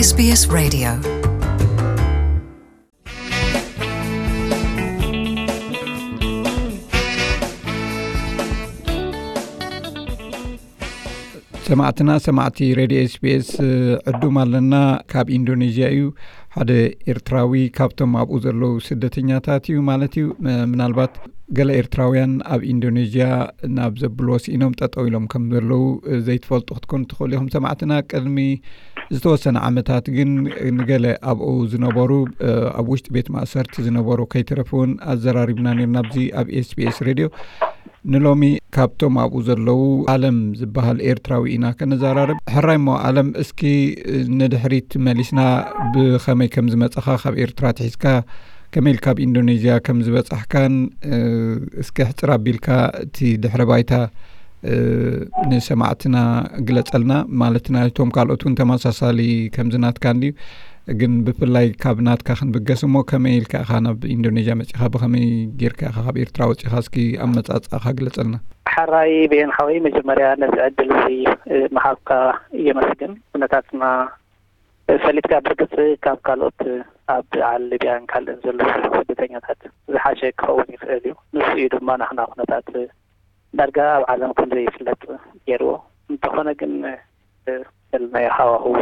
SBS Radio. ሰማዕትና፣ ሰማዕቲ ሬድዮ ኤስቢኤስ፣ ዕዱም ኣለና። ካብ ኢንዶኔዥያ እዩ። ሓደ ኤርትራዊ ካብቶም ኣብኡ ዘለዉ ስደተኛታት እዩ ማለት እዩ። ም-፣ ምናልባት ገለ ኤርትራውያን ኣብ ኢንዶኔዥያ ናብ ዘብልዎ ስኢኖም ጠጠው ኢሎም ከም ዘለዉ ዘይትፈልጡ ክትኮኑ ትኽእሉ ኢኹም። ሰማዕትና፣ ቅድሚ ዝተወሰነ ዓመታት ግን ንገለ ኣብኡ ዝነበሩ፣ ኣብ ውሽጢ ቤት ማእሰርቲ ዝነበሩ ከይተረፉ እውን ኣዘራሪብና ነርና ኣብዚ ኣብ ኤስቢኤስ ሬድዮ። ንሎሚ ካብቶም ኣብኡ ዘለዉ ኣለም ዝበሃል ኤርትራዊ ኢና ከነዘራርብ። ሕራይ እሞ ኣለም፣ እስኪ ንድሕሪት መሊስና ብኸመይ ከም ዝመጻኻ፣ ካብ ኤርትራ ትሒዝካ ከመይ ኢልካ ኣብ ኢንዶኔዥያ ከም ዝበጻሕካን፣ እ፣ እስኪ ሕጽር ኣቢልካ እቲ ድሕረ ባይታ፣ እ፣ ንሰማዕትና ግለጸልና። ማለት ናይቶም ካልኦት እውን ተመሳሳሊ ከምዚ ናትካ እንድዩ፣ ግን ብፍላይ ካብ ናትካ ክንብገስ እሞ፣ ከመይ ኢልካ ኢኻ ናብ ኢንዶኔዥያ መጺኻ? ብኸመይ ጌርካ ኢኻ ካብ ኤርትራ ወጺኻ? እስኪ ኣመጻጽኣኻ ግለጸልና። ሕራይ ብኤን ሓወይ፣ መጀመርያ ነዚ ዕድል እዚ፣ እ፣ ምሃብካ የመስግን። ኩነታትና ፈሊጥካ፣ ብርግጽ ካብ ካልኦት ኣብ ዓል ሊብያን ካልእን ዘለዉ ስደተኛታት ዝሓሸ ክኸውን ይኽእል እዩ። ንሱ እዩ ድማ ናህና ኩነታት ዳርጋ ኣብ ዓለም ከም ዘይፍለጥ ገይርዎ። እንተኾነ ግን፣ እ፣ ዘለናዮ ሃዋህው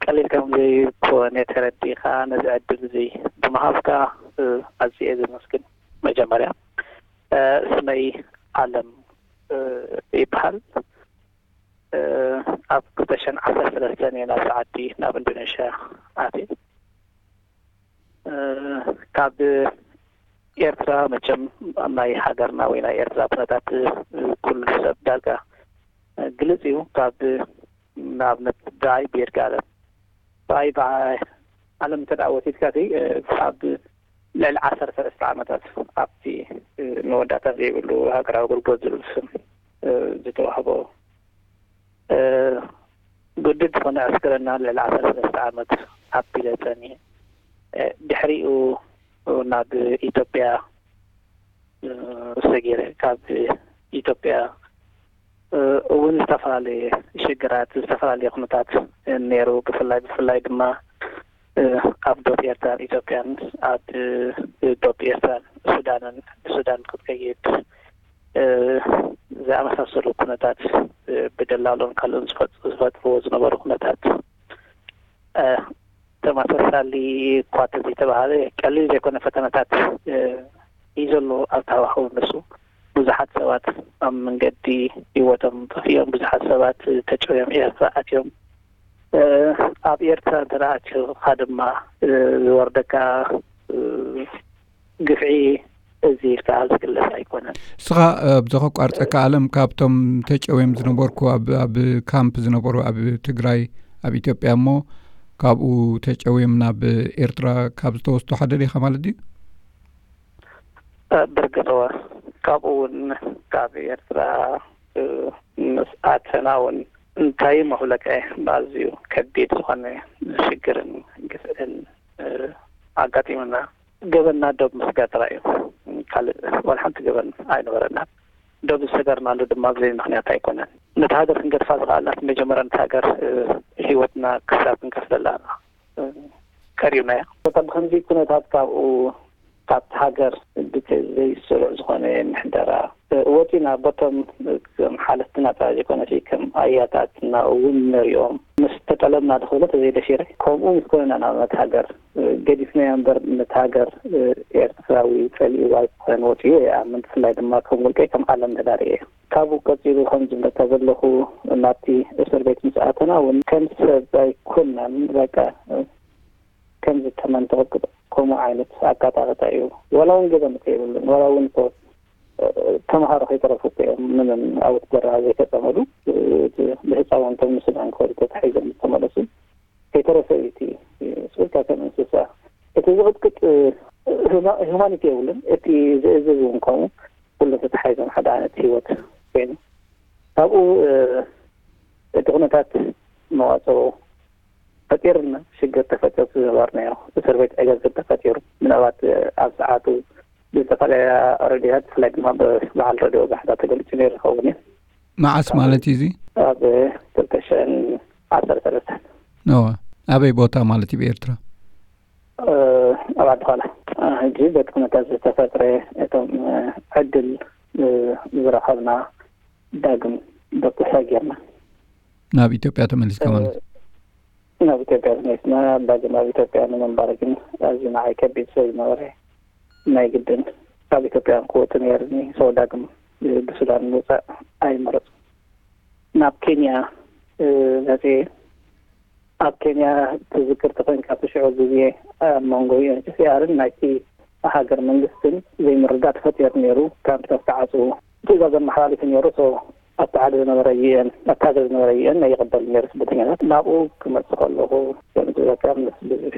ቀሊል ከም ዘይኮነ ተረዲእካ ነዚ ዕድል እዚ ብምሃብካ፣ እ፣ ኣዝየ እየ ዘመስግን። መጀመርያ፣ እ፣ ስመይ ኣለም፣ እ፣ ይበሃል። እ፣ ኣብ ክልተ ሽሕን ዓሰርተ ሰለስተን እየ ናብዚ ዓዲ፣ ናብ ኢንዶኔሽያ ኣትየ። እ፣ ካብ ኤርትራ መቸም ናይ ሃገርና ወይ ናይ ኤርትራ ኩነታት፣ እ፣ ኩሉ ሰብ ዳርጋ ግልጽ እዩ። ካብ ንኣብነት ብኣይ ብይርጋለም፣ ብኣይ ብዓለም እንተ ደኣ ወሲድካ፣ እቲ፣ እ፣ ካብ ልዕሊ ዓሰርተ ሰለስተ ዓመታት ኣብቲ፣ እ፣ መወዳእታ ዘይብሉ ሃገራዊ ኣገልግሎት ዝብል ስም፣ እ፣ ዝተዋህቦ፣ እ፣ ግዱድ ዝኾነ ዕስክርና ልዕሊ ዓሰርተ ሰለስተ ዓመት ኣቢለ ጸኒሐ። እ፣ ድሕሪኡ ናብ ኢትዮጵያ፣ እ፣ ሰጊረ። ካብ ኢትዮጵያ፣ እ፣ እውን ዝተፈላለየ ሽግራት፣ ዝተፈላለየ ኩነታት ነይሩ። ብፍላይ፣ ብፍላይ ድማ፣ እ፣ ኣብ ዶብ ኤርትራን ኢትዮጵያን፣ ኣብ፣ እ፣ ዶብ ኤርትራን ሱዳንን፣ ሱዳን ክትከይድ፣ እ፣ ዝኣመሳሰሉ ኩነታት፣ እ፣ ብደላሎን ካልኦን ዝፈጥ-፣ ዝፈጥርዎ ዝነበሩ ኩነታት፣ እ፣ ተመሳሳሊ እኳ እንተዘይተባሃለ፣ ቀሊል ዘይኮነ ፈተነታት፣ እ፣ እዩ ዘሎ ኣብቲ ሃዋህው። ንሱ ብዙሓት ሰባት ኣብ መንገዲ ህይወቶም ጠፊኦም፣ ብዙሓት ሰባት ተጨውዮም ኤርትራ ኣትዮም። እ፣ ኣብ ኤርትራ እንተ ደኣ ኣትዩኻ ድማ፣ እ፣ ዝወርደካ፣ እ፣ ግፍዒ እዚ ኢልካ ዝግለጽ ኣይኮነን። ንስኻ፣ እ፣ ብዘኸቋርጸካ ኣለም፣ ካብቶም ተጨውዮም ዝነበርኩ፣ ኣብ፣ ኣብ ካምፕ ዝነበሩ ኣብ ትግራይ፣ ኣብ ኢትዮጵያ እሞ ካብኡ ተጨውዮም ናብ ኤርትራ ካብ ዝተወስዱ ሓደ ዲኻ ማለት ድዩ? እ፣ ብርግጽ እወ። ካብኡ እውን ካብ ኤርትራ፣ እ፣ ምስ ኣተና እውን እንታይ መፍለቀ ብኣዝዩ ከቢድ ዝኾነ ሽግርን ግፍዕን፣ እ፣ ኣጋጢሙና። ገበንና ዶብ ምስጋር ጥራይ እዩ። ካልእ ዋላ ሓንቲ ገበን ኣይነበረናን። ዶብ ዝሰገርናሉ ድማ ብዘይ ምኽንያት ኣይኮነን። ነቲ ሃገር ክንገድፋ ዝኸኣልና፣ መጀመርያ ነቲ ሃገር፣ እ፣ ህይወትና ክሳብ ክንከፍለላ፣ እ፣ ቀሪብናያ። በታ ብኸምዚ ኩነታት ካብኡ፣ ካብቲ ሃገር ብዘይስሩዕ ዝኾነ ምሕደራ፣ እ፣ ወፂና፣ በቶም፣ እ፣ ከም ሓለፍትና ጥራይ ዘይኮነሲ ከም ኣያታትና እውን ንሪኦም ምስ ተጠለብና፣ ዝኽብሎ ተዘይደፊረ፣ ከምኡ ምስ ኮነና ናብ ነቲ ሃገር ገዲፍናዮ እምበር፣ ነቲ ሃገር፣ እ፣ ኤርትራዊ ጸሊእዋ ኣይኮነን ወጺኡ እየ ኣምን። ብፍላይ ድማ ከም ውልቀይ ከም ዓለም ተዳርየ እየ። ካብኡ ቀጺሉ ከም ዝብለካ ዘለኹ፣ ናብቲ እስር ቤት ምስ ኣተና እውን ከም ሰብ ኣይኮናን። በቃ፣ እ፣ ከም ዝተመን ተቐጥቅጦ፣ ከምኡ ዓይነት ኣቀጣቕጣ እዩ። ዋላ እውን ገበን እኮ የብሉን። ዋላ እውን እኮ፣ እ፣ ተምሃሮ ከይተረፉ እኮ እዮም ምንም ኣብቲ በረኻ ዘይተጸመዱ። እ፣ እቲ ብህፃውንቶም ንሱዳን ክኸዱ ተታሒዞም ዝተመለሱ። ከይተረፈ እዩ እቲ ስቁልካ ከም እንስሳ። እቲ ዝቕጥቅጥ፣ እ፣ ሁማ-፣ ሁማኒቲ የብሉን። እቲ ዝእዝዝ እውን ከምኡ፣ ኩሉ ተተሓሒዞም ሓደ ዓይነት ህይወት ኮይኑ። ካብኡ፣ እ፣ እቲ ኩነታት መዋፅኦ ፈጢርና፣ ሽግር ተፈጢሩ፣ ዝነበርናዮ እስር ቤት ዕግርግር ተፈጢሩ። ምናልባት፣ እ፣ ኣብ ሰዓቱ ብዝተፈላለያ ሬድዮታት፣ ብፍላይ ድማ ብበዓል ሬድዮ ጋሕታ ተገሊጹ ነይሩ ይኸውን እዩ። መዓስ ማለት እዩ እዚ? ኣብ ክልተ ሽሕን ዓሰርተ ሰለስተን። እወ። ኣበይ ቦታ ማለት እዩ ብኤርትራ? ኣብ ዓዲ ኳላ። ሕጂ በቲ ኩነታት ዝተፈጥረ እቶም ዕድል ዝረኸብና ዳግም ደቁሳ ጌርና ናብ ኢትዮጵያ ተመሊስካ ማለት እዩ? ናብ ኢትዮጵያ ተመሊስና። ዳግም ኣብ ኢትዮጵያ ንምንባር ግን ኣዝዩ ንዓይ ከቢድ ስለ ዝነበረ ናይ ግድን ካብ ኢትዮጵያ ክወጽእ ነይርኒ። ሰው ዳግም ብሱዳን ምውጻእ ኣይመረጽኩ። ናብ ኬንያ መጽየ። ኣብ ኬንያ ትዝክር ተኾይንካ፣ እቲ ሽዑ ግዜ ኣብ መንጎ ዩ ኤን ኤች ሲ ኣርን ናይቲ ሃገር መንግስትን ዘይምርዳእ ተፈጢሩ ነይሩ። ካምፕታት ተዓጽዉ፣ ትእዛዝ ኣመሓላሊፉ ነይሩ። ሶ ኣብቲ ዓዲ ዝነበረ ዩ ኤን ኣብቲ ሃገር ዝነበረ ዩ ኤን ኣይቕበል ነይሩ ስደተኛታት። ናብኡ ክመጽእ ከለኹ ከምዝበካ ምስ ብዙሕ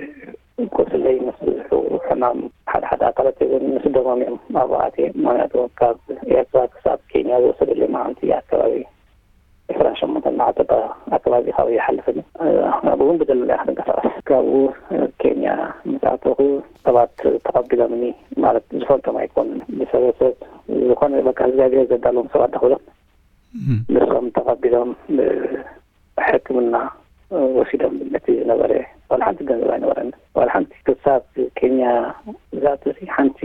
ቁስለይ፣ ምስ ብዙሑ ሕማም፣ ሓደ ሓደ ኣካላት እውን ምስ ደሞም እዮም ኣብኡ ኣትየ። ምክንያቱ ካብ ኤርትራ ክሳብ ኬንያ ዝወሰደለይ መዓልቲ ኣካባቢ ዕስራን ሸሞንተን መዓልቲ ኣካባቢ ካብኡ ይሓልፍን ኣብኡ እውን ብደለለያ ክንቀሳቀስ። ካብኡ ኬንያ ምስ ኣተኹ ሰባት ተቐቢሎምኒ፣ ማለት ዝፈልጦም ኣይኮኑን። ብሰበሰብ ዝኾነ በቃ እግዚኣብሔር ዘዳለዎም ሰባት ዳክብሎም ንሶም ተቐቢሎም ሕክምና ወሲዶም። ነቲ ዝነበረ ዋላ ሓንቲ ገንዘብ ኣይነበረን። ዋላ ሓንቲ ክሳብ ኬንያ ዝኣቱ ሓንቲ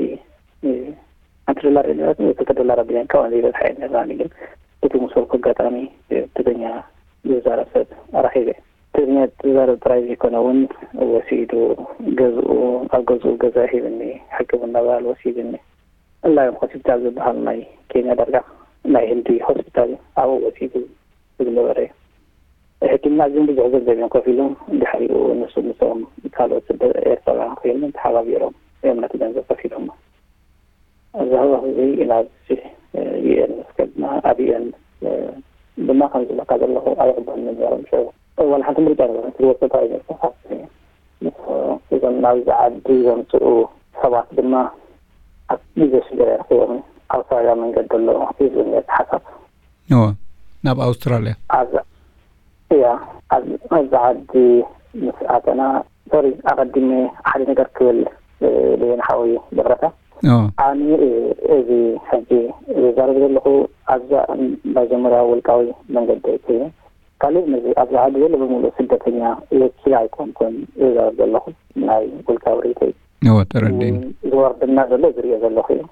ሓንቲ ዶላር የለት ክልተ ዶላር ኣቢለን ካብኡ ዘይበዝሓ እየን ነራኒ። ግን እቲ ምስ በልኩ ኣጋጣሚ ትግርኛ ዝዛረብ ሰብ ኣራኺበ። ትግርኛ ዝዛረብ ጥራይ ዘይኮነ እውን ወሲዱ ገዝኡ፣ ኣብ ገዝኡ ገዛ ሂብኒ፣ ሕክምና ባል ወሲድኒ። እላይ ሆስፒታል ዝበሃል ናይ ኬንያ ዳርጋ ናይ ህንዲ ሆስፒታል እዩ። ኣብኡ ወሲዱ ዝነበረ ሕክምና ግን ብዙሕ ገንዘብ እዮም ከፊሎም። ድሕሪኡ ንሱ ምስኦም ካልኦት ስደ ኤርትራውያን ኮይኖም ተሓባቢሮም እዮም ነቲ ገንዘብ ከፊሎም። እዚ ህወኽ እዚ ናብ ዩኤን ምስ ከድና ኣብ ዩኤን ድማ ከም ዝበካ ዘለኹ ኣይቕበልኒ ነይሮም። ሽዑ ዋላ ሓንቲ ምርጫ ነበረ። ትወፅእ ጥራይ ነርካ ካብቲ እዞም ናብዚ ዓዲ ዘምፅኡ ሰባት ድማ ኣብ ግዜ ሽግር እዮም ኣውስትራልያ መንገዲ ኣሎ ይብል ነቲ ሓሳብ። እወ፣ ናብ ኣውስትራልያ። ኣብዛ እያ፣ ኣብ- ኣብዚ ዓዲ ምስ ኣተና፣ ሶሪ፣ ኣቐዲመ ሓደ ነገር ክብል ደየን ሓወይ ይቕረታ። እወ። ኣነ እዚ ሕጂ ዝዛረብ ዘለኹ ኣብዛ መጀመርያ ውልቃዊ መንገዲ ኮይኑ ካልእ ነዚ ኣብዚ ዓዲ ዘሎ ብምሉእ ስደተኛ ወኪል ኣይኮንኩን ዝዛረብ ዘለኹ፣ ናይ ውልቃዊ ርእይቶይ እወ፣ ተረዲእኒ። ዝወርድና ዘሎ ዝሪኦ ዘለኹ እዩ።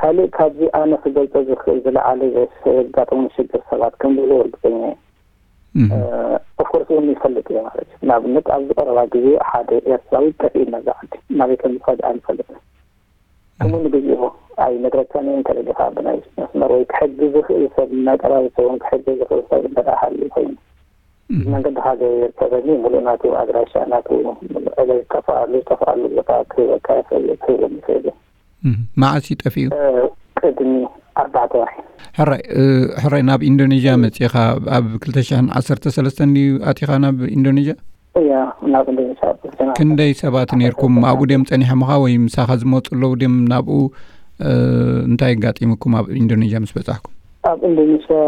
ካልእ ካብዚ ኣነ ክገልጾ ዝኽእል ዝለዓለ ዘጋጠሙ ሽግር ሰባት ከም ዘሎ እርግጸኛ እየ። ኦፍኮርስ እውን ይፈልጥ እየ ማለት እዩ። ንኣብነት ኣብዚ ቀረባ ግዜ ሓደ ኤርትራዊ ጠፊኡ ነዛ ዓዲ ናበይ ከም ዝኸደ ኣይንፈልጥን። ከምኡ ንግዜኡ ኣይነግረካን እየ። እንተ ደሊኻ ብናይ መስመር ወይ ክሕግዝ ዝኽእል ሰብ ናይ ቀረባ ቤተሰቦም ክሕግዝ ዝኽእል ሰብ እንተ ደኣ ሃልዩ ኮይኑ መንገዲ ሓደ ይርከበኒ ሙሉእ ናቱ ኣድራሻ ናቱ ዕለይ ዝጠፍኣሉ ዝጠፍኣሉ ቦታ ክህበካ ይኽእል ክህበኒ ይኽእል እዩ። መዓስ እዩ ጠፊኡ? ቅድሚ ኣርባዕተ ወርሒ። ሕራይ ሕራይ ናብ ኢንዶኔዥያ መጺኻ ኣብ ክልተ ሽሕን ዓሰርተ ሰለስተን ድዩ ኣቲኻ ናብ ኢንዶኔዥያ? እያ ናብ ኢንዶኔዥያ ኣብ ክልተ ሽሕን ዓሰርተ ሰለስተን። ክንደይ ሰባት ነርኩም ኣብኡ ድዮም ጸኒሖምኻ ወይ ምሳኻ ዝመጹ ኣለዉ ድዮም ናብኡ? እንታይ ኣጋጢሙኩም ኣብ ኢንዶኔዥያ ምስ በጻሕኩም? ኣብ ኢንዶኔሽያ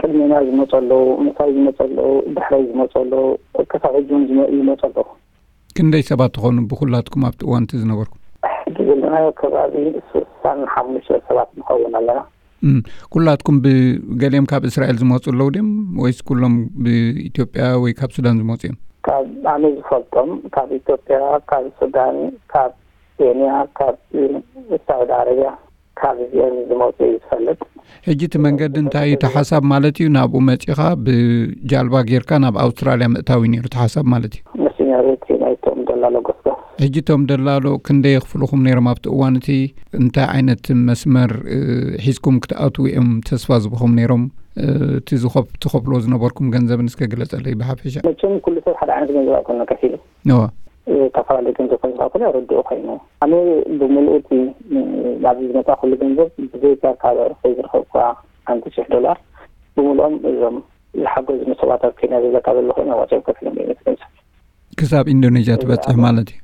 ቅድሜና ዝመፁ ኣለዉ፣ ምሳይ ዝመፁ ኣለዉ፣ ድሕረይ ዝመፁ ኣለዉ፣ ክሳብ ሕጂ እውን ዝመ- ይመፁ ኣለዉ። ክንደይ ሰባት ትኾኑ ብኩላትኩም ኣብቲ እዋን እቲ ዝነበርኩም? ሕጂ ዘለናዮ ከባቢ ስሳን ሓሙሽተ ሰባት ንኸውን ኣለና። እም፣ ኩላትኩም ብገሊኦም ካብ እስራኤል ዝመፁ ኣለዉ ድዮም ወይስ ኩሎም ብኢትዮጵያ ወይ ካብ ሱዳን ዝመፁ እዮም? ካብ ኣነ ዝፈልጦም ካብ ኢትዮጵያ፣ ካብ ሱዳን፣ ካብ ኬንያ፣ ካብ ሳዑዲ ዓረብያ ካብ እዚኦም ዝመፁ እዩ ዝፈልጥ። ሕጂ እቲ መንገዲ እንታይ እዩ እቲ ሓሳብ ማለት እዩ? ናብኡ መፂኻ ብጃልባ ጌርካ ናብ ኣውስትራልያ ምእታው እዩ ነይሩ እቲ ሓሳብ ማለት እዩ? ንሱ ነይሩ እቲ ናይቶም ደላሎ ጎስጓስ። ሕጂ እቶም ደላሎ ክንደይ የኽፍልኹም ነይሮም ኣብቲ እዋን እቲ? እንታይ ዓይነት መስመር እ፣ ሒዝኩም ክትኣትዉ እዮም ተስፋ ዝብኹም ነይሮም? እ፣ እቲ ዝኸፍ- ትኸፍልዎ ዝነበርኩም ገንዘብን እስከ ግለፀለይ ብሓፈሻ። መቸም ኩሉ ሰብ ሓደ ዓይነት ገንዘብ ኣይኮነ ከፊሉ። እወ። ዝተፈላለዩ ገንዘብ ከም ዝረኸብኩ ርዱእ ኮይኑ፣ ኣነ ብምልኡ እቲ ናብዚ ዝመፃ ኩሉ ገንዘብ ብዘይካ ካብ ርሑይ ዝረኸብኳ ሓንቲ ሽሕ ዶላር ብምልኦም እዞም ዝሓገዙ ሰባት ኣብ ኬንያ ዘለካ ዘለኹ እዮም ኣዋፂኦም ከፊሎም እዮም እቲ ገንዘብ። ክሳብ ኢንዶኔዥያ ትበፅሕ ማለት እዩ?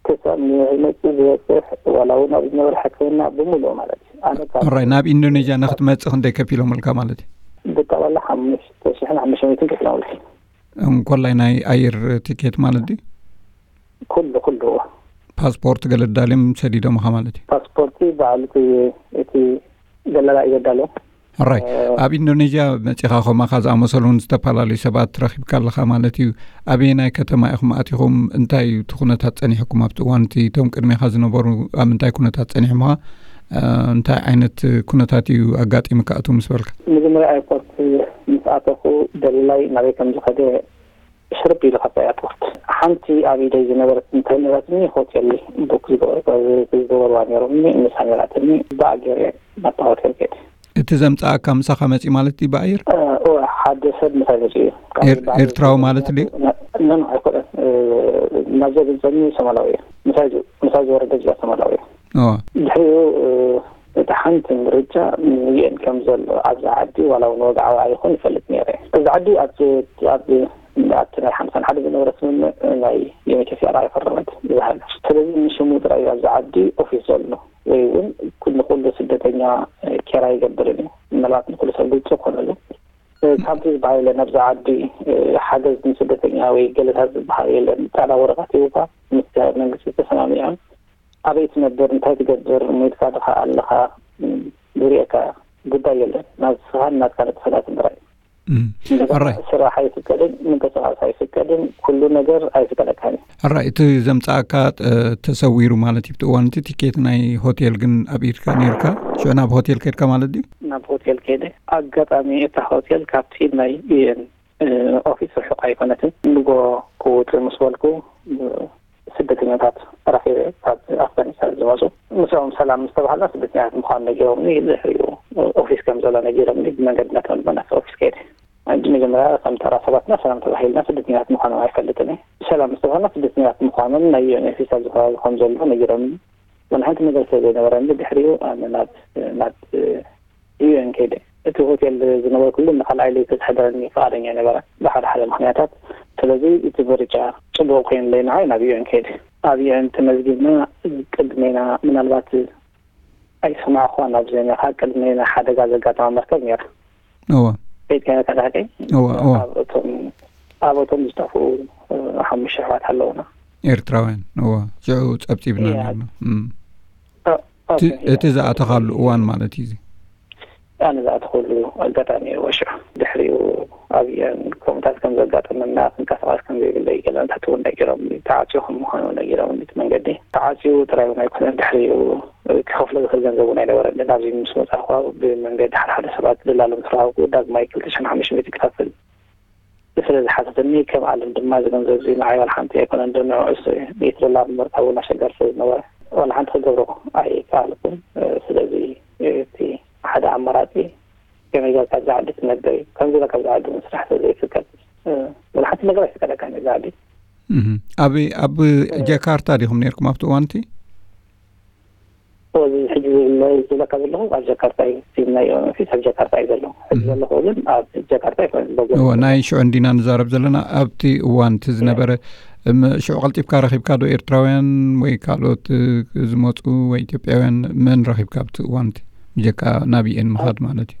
ክሳብ ንመፅእ ዝበፅሕ ዋላ እውን ኣብ ዝነበረ ሕክምና ብምልኡ ማለት እዩ። ኣነ ካብ ሕራይ ናብ ኢንዶኔዥያ ንክትመፅእ ክንደይ ከፊሎምልካ ማለት እዩ? ብጠቕላላ ሓሙሽተ ሽሕን ሓሙሽተ ሚእትን ከፊሎምልካ። እንኮላይ ናይ ኣየር ቲኬት ማለት ድዩ? ኩሉ ኩሉ። ፓስፖርት ገለ ዳልዮም ሰዲዶምኻ ማለት እዩ? ፓስፖርቲ በዓል እቲ እቲ ደላላ እዩ ዘዳሎ። ሕራይ፣ ኣብ ኢንዶኔዥያ መጺኻ ከማኻ ዝኣመሰሉ እውን ዝተፈላለዩ ሰባት ረኺብካ ኣለኻ ማለት እዩ። ኣበየናይ ከተማ ኢኹም ኣቲኹም? እንታይ እዩ እቲ ኩነታት ጸኒሕኩም ኣብቲ እዋን እቲ? እቶም ቅድሜኻ ዝነበሩ ኣብ ምንታይ ኩነታት ጸኒሖምኻ? እንታይ ዓይነት ኩነታት እዩ ኣጋጢምካ እቱ ምስ በልካ? መጀመርያ ኤርፖርት ምስ ኣተኹ ደሊላይ ናበይ ከም ዝኸደ ሽርብ ኢሉ ካብታ ኤርፖርት ሓንቲ ኣብ ኢደይ ዝነበረት እንታይ ነራትኒ ሆቴል ቡክ ዝገበርዋ ነይሮምኒ። ንሳ ነራትኒ ብኣገር ናብታ ሆቴል ከይደ። እቲ ዘምፀኣካ ምሳኻ መፂ ማለት ድዩ ብኣየር? ሓደ ሰብ ምሳይ መፂኡ እዩ። ኤርትራዊ ማለት ድዩ? ነን ኣይኮነን። ናብዛ ዘምፀኒ ሶማላዊ እዩ። ምሳይ ዝወረደ ጅላ ሶማላዊ እዩ። ድሕሪኡ እቲ ሓንቲ ምርጫ ንዩኤን ከም ዘሎ ኣብዛ ዓዲ ዋላ እውን ወግዓዊ ኣይኹን ይፈልጥ ነይረ። እዚ ዓዲ ኣብቲ ናይ ሓምሳን ሓደ ዝነበረ ስምምዕ ናይ ዩኤንኤችሲኣር ኣይፈረመት ዝበሃል። ስለዚ ንሽሙ ጥራይ ኣብዚ ዓዲ ኦፊስ ዘሎ ወይ እውን ንኩሉ ስደተኛ ኬራ ይገብርን እዩ። ምናልባት ንኩሉ ሰብ ግልፂ ኮነሉ ካብዚ ዝበሃል የለን። ኣብዚ ዓዲ ሓገዝ ንስደተኛ ወይ ገለታት ዝበሃል የለን። ፃዕዳ ወረቐት ሂቡካ ምስ መንግስቲ ተሰማሚዖም ኣበይ ትነብር፣ እንታይ ትገብር፣ ሞይትካ ድኻ ኣለኻ ዝርእየካ ጉዳይ የለን። ናስኻን ናትካ ንጥፈታትን ጥራይ። ስራሕ ኣይፍቀድን፣ ምንቅስቃስ ኣይፍቀድን፣ ኩሉ ነገር ኣይፍቀደካን እዩ። ሕራይ፣ እቲ ዘምፀኣካ ተሰዊሩ ማለት እዩ። ብቲ እዋን እቲ ቲኬት ናይ ሆቴል ግን ኣብ ኢድካ ነይርካ፣ ሽዑ ናብ ሆቴል ከድካ ማለት ድዩ? ናብ ሆቴል ከይደ። ኣጋጣሚ እታ ሆቴል ካብቲ ናይ ዩኤን ኦፊስ ርሑቕ ኣይኮነትን። ንጎ ክውፅእ ምስ በልኩ ስደተኛታት ረኺበ ካብ ኣፍጋኒስታን ዝመፁ። ምስኦም ሰላም ምስ ተባሃልና ስደተኛታት ምዃኑ ነጊሮምኒ። ድሕሪኡ ኦፊስ ከም ዘሎ ነጊሮምኒ። ብመንገዲ እናተመልመ ናብቲ ኦፊስ ከይደ። ሕጂ መጀመርያ ከም ተራ ሰባትና ሰላም ተባሂልና ስደተኛታት ምዃኖም ኣይፈልጥን እየ። ሰላም ምስ ተባሃልና ስደተኛታት ምዃኖም ናይ ዩኤን ኦፊስ ኣብዚ ከባቢ ከም ዘሎ ነጊሮምኒ። ዋላ ሓንቲ ነገር ስለ ዘይነበረኒ ድሕሪኡ ኣነ ናብ ናብ ዩኤን ከይደ። እቲ ሆቴል ዝነበርኩሉ ንካልኣይ ለይቲ ክሕደረኒ ፍቓደኛ ኣይነበረን ብሓደ ሓደ ምኽንያታት። ስለዚ እቲ ምርጫ ጽቡቕ ኮይኑለይ ንዓይ ናብ ዩኤን ከይደ። ኣብ ዩኤን ተመዝጊብና ቅድሜና ምናልባት ኣይሰማዕኳን ኣብ ዜናኻ ቅድሜና ሓደጋ ዘጋጠማ መርከብ ነይራ። እወ። ከይድካ ነካ ዳሕቀይ እወ እወ። ኣብ እቶም ኣብ እቶም ዝጠፍኡ ሓሙሽተ ኣሕዋት ኣለውና። ኤርትራውያን እወ። ሽዑ ጸብጺብና እያ። ነርና። እም። እ- እቲ ኦኬ። እቲ ዝኣተኻሉ እዋን ማለት እዩ እዚ። ኣነ ዝኣተኹሉ ኣጋጣሚ እዩ ወሽዑ። ድሕሪኡ ኣብየን ከምኡታት ከም ዘጋጠመና ክንቀሳቐስ ከም ዘይብለይ ገለ እንታይ እውን ነጊሮም ተዓፅዩ ከም ምዃኑ ነጊሮም እቲ መንገዲ ተዓፅዩ ጥራይ እውን ኣይኮነን ድሕሪኡ ክኸፍሎ ዝኽእል ገንዘብ እውን ኣይነበረን ናብዚ ምስ መፃእኳ ብመንገዲ ሓደ ሓደ ሰባት ደላሎም ተረኸብኩ ዳግማይ ክልተ ሽሕን ሓሙሽተ ሚእቲ ክኸፍል ስለ ዝሓተተኒ ከም ኣለም ድማ እዚ ገንዘብ እዚ ንዓይ ዋላ ሓንቲ ኣይኮነን ዶ ንዕኡስ ሚእቲ ዶላር ንምርካብ እውን ኣሸጋሪ ስለ ዝነበረ ዋላ ሓንቲ ክገብሮ ኣይከኣልኩን ስለዚ እቲ ሓደ ኣማራፂ ከመይ ጌርካ ኣብዚ ዓዲ ትነብር እዩ ከምዚ ኢለ ካብዚ ዓዲ እውን ስራሕ ስለ ዘይፍቀድ ዋላ ሓንቲ ነገር ኣይፍቀደካን እዩ እዚ ዓዲ ኣብ ኣብ ጃካርታ ዲኹም ነርኩም ኣብቲ እዋንቲ እዚ ሕጂ ዝብለካ ዘለኹ ኣብ ጃካርታ እዩ እቲ ናይ ኦሎምፒክስ ኣብ ጃካርታ እዩ ዘሎ ሕጂ ዘለኹ ግን ኣብ ጃካርታ ኣይኮነን በጎ እዎ ናይ ሽዑ እንዲና ንዛረብ ዘለና ኣብቲ እዋን እቲ ዝነበረ እም፣ ሽዑ ቀልጢፍካ ረኺብካ ዶ ኤርትራውያን ወይ ካልኦት እ፣ ዝመፁ ወይ ኢትዮጵያውያን መን ረኺብካ ኣብቲ እዋን እቲ ብጀካ ናብ ዩኤን ምኻድ ማለት እዩ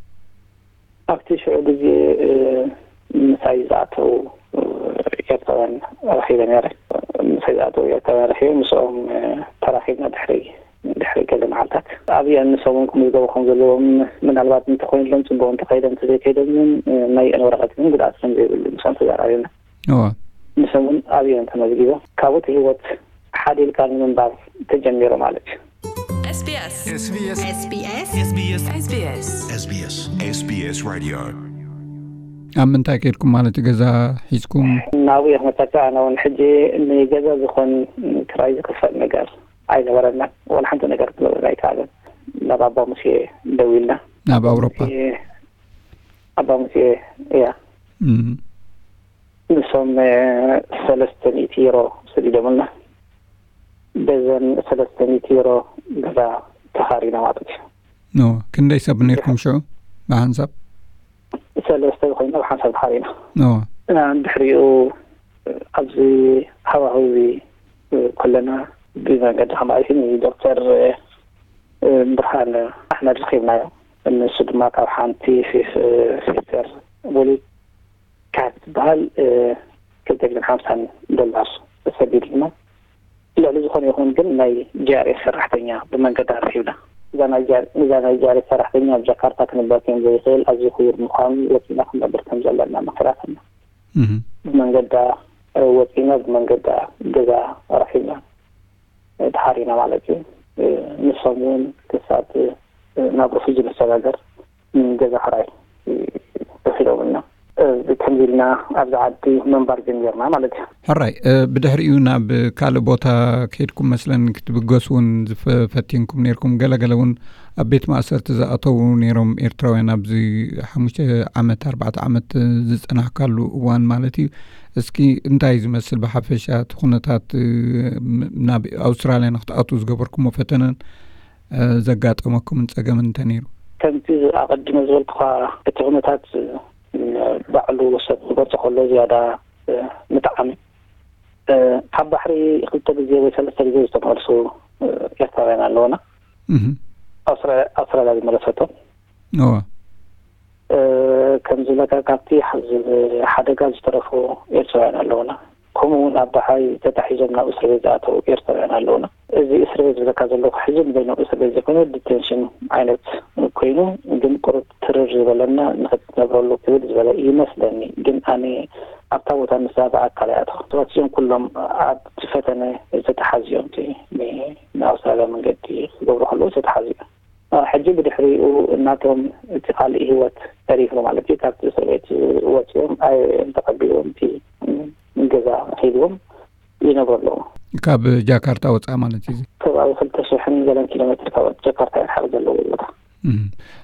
ኣብቲ ሽዑ ግዜ እ፣ ምሳይ ዝኣተው እ፣ ኤርትራውያን ረኺበ ነይረ ምሳይ ዝኣተው ኤርትራውያን ረኺበ ምስኦም እ፣ ተራኺብና ድሕሪ ድሕሪ ገለ መዓልታት ኣብየን ንሶም እውን ክምዝገቡ ከም ዘለዎም ምናልባት እንተኮይንሎም ፅቡቅ እንተኸይዶም እንተዘይከይዶም እውን ናይ ዩኤን ወረቀት ግን ጉድኣት ከም ዘይብሉ ምስኦም ተዘራሪብና እዋ ንሶም እውን ኣብየን ተመዝጊቦም ካብኡ እቲ ህይወት ሓዲልካ ንምንባር ተጀሚሩ ማለት እዩ። SBS SBS SBS SBS SBS SBS SBS Radio ኣብ ምንታይ ከድኩም ማለት ገዛ ሒዝኩም ናብኡ እየ ክመፀካ ኣነ እውን ሕጂ ንገዛ ዝኾን ክራይ ዝክፈል ነገር ኣይነበረናን። ዋላ ሓንቲ ነገር ክገብረና ኣይከኣለን። ናብ ኣባ ሙሴ ደዊልና። ናብ ኣውሮፓ። ሙሴ- ኣባ ሙሴ እያ። እም። ንሶም እ፣ ሰለስተ ሚእቲ ዩሮ ሰዲዶምልና። በዘን ሰለስተ ሚእቲ ዩሮ ገዛ ተኻሪና ማለት እዩ። ኖ፣ ክንደይ ሰብ ነርኩም ሽዑ ብሓንሳብ? ሰለስተ ኮይና ብሓንሳብ ተኻሪና። ኖ። እና ድሕሪኡ ኣብዚ ሃዋህው እዚ ከለና ብመንገዲ ከማሪትን ዶክተር ብርሃን ኣሕመድ ረኺብናዮ። ንሱ ድማ ካብ ሓንቲ ሲስተር ቦሊ ካብ ትበሃል ክልተ ሚእትን ሓምሳን ዶላር ሰዲድልና። ልዕሊ ዝኾነ ይኹን ግን ናይ ጂኣርኤስ ሰራሕተኛ ብመንገዲ ኣረኺብና። እዛ ናይ ጃ-፣ እዛ ናይ ጃሪ ሰራሕተኛ ኣብ ጃካርታ ክንበር ከም ዘይኽእል፣ ኣዝዩ ክቡር ምዃኑ ወፂና ክንነብር ከም ዘለና መኺራትና። እህ። ብመንገዳ፣ እ፣ ወፂና ብመንገዳ ገዛ ረኺብና፣ እ፣ ተሃሪና ማለት እዩ። እ፣ ንሶም እውን ክሳብ፣ እ፣ ናብ ርፉጅ ንሰጋገር፣ እ፣ ገዛ ክራይ፣ እ፣ ተኺሎምና። እ፣ ከምዚ ኢልና ኣብዚ ዓዲ ምንባር ጀሚርና ማለት እዩ። ሕራይ፣ እ፣ ብድሕሪኡ ናብ ካልእ ቦታ ከይድኩም መስለን ክትብገሱ እውን ዝፈ-፣ ፈቲንኩም ነይርኩም። ገለ ገለ እውን ኣብ ቤት ማእሰርቲ ዝኣተዉ ነይሮም ኤርትራውያን ኣብዚ ሓሙሽተ ዓመት፣ ኣርባዕተ ዓመት ዝጸናሕካሉ እዋን ማለት እዩ። እስኪ እንታይ እዩ ዝመስል ብሓፈሻ እቲ ኩነታት፣ እ፣ ም-፣ ናብ ኣውስትራልያ ንክትኣትዉ ዝገበርኩሞ ፈተነን፣ እ፣ ዘጋጠመኩምን ጸገምን እንተ ነይሩ? ከምቲ ኣቐዲመ ዝበልኩኻ፣ እቲ ኩነታት፣ እ፣ ባዕሉ ሰብ ክገልጾ ከሎ ዝያዳ፣ እ፣ ምጥዓም እዩ። እ፣ ካብ ባሕሪ ክልተ ግዜ ወይ ሰለስተ ግዜ ዝተመልሱ፣ እ፣ ኤርትራውያን ኣለውና። እህ። ኣውስትራ-፣ ኣውስትራልያ ዝመለሰቶም። እዋ። እ፣ ከም ዝብለካ፣ ካብቲ ሓ-፣ ዝ-፣ ሓደጋ ዝተረፉ ኤርትራውያን ኣለውና። ከምኡ እውን ኣብ ባሕሪ ተታሒዞም ናብ እስር ቤት ዝኣተዉ ኤርትራውያን ኣለውና። እዚ እስር ቤት ዝብለካ ዘለኹ ሕጂ ንበይኖም እስር ቤት ዘይኮነ፣ ዲቴንሽን ዓይነት ኮይኑ፣ ግን ቁሩብ ትርር ዝበለና ንኽትነብረሉ ክብል ዝበለ ይመስለኒ። ግን ኣነ ኣብታ ቦታ ንሳ ብኣካል እያ ኣተኹ። ሰባት እዚኦም ኩሎም ኣብቲ ፈተነ ዝተተሓዙ እዮም። እቲ ን-፣ ንኣውስትራልያ መንገዲ ክገብሩ ከለዉ ዝተተሓዙ እዮም። ሕጂ ብድሕሪኡ እናቶም እቲ ካልእ ህይወት ተሪፉ ማለት እዩ። ካብቲ እስር ቤት ወፂኦም፣ ኣይ-፣ ተቐቢልዎም፣ እቲ ገዛ ሂብዎም ይነብሩ ኣለዉ። ካብ ጃካርታ ወፃእ ማለት እዩ። ከባቢ ክልተ ሽሕን ገለን ኪሎ ሜትር ካብ ጃካርታ እዮም ሓደ ዘለዎ ቦታ። እም።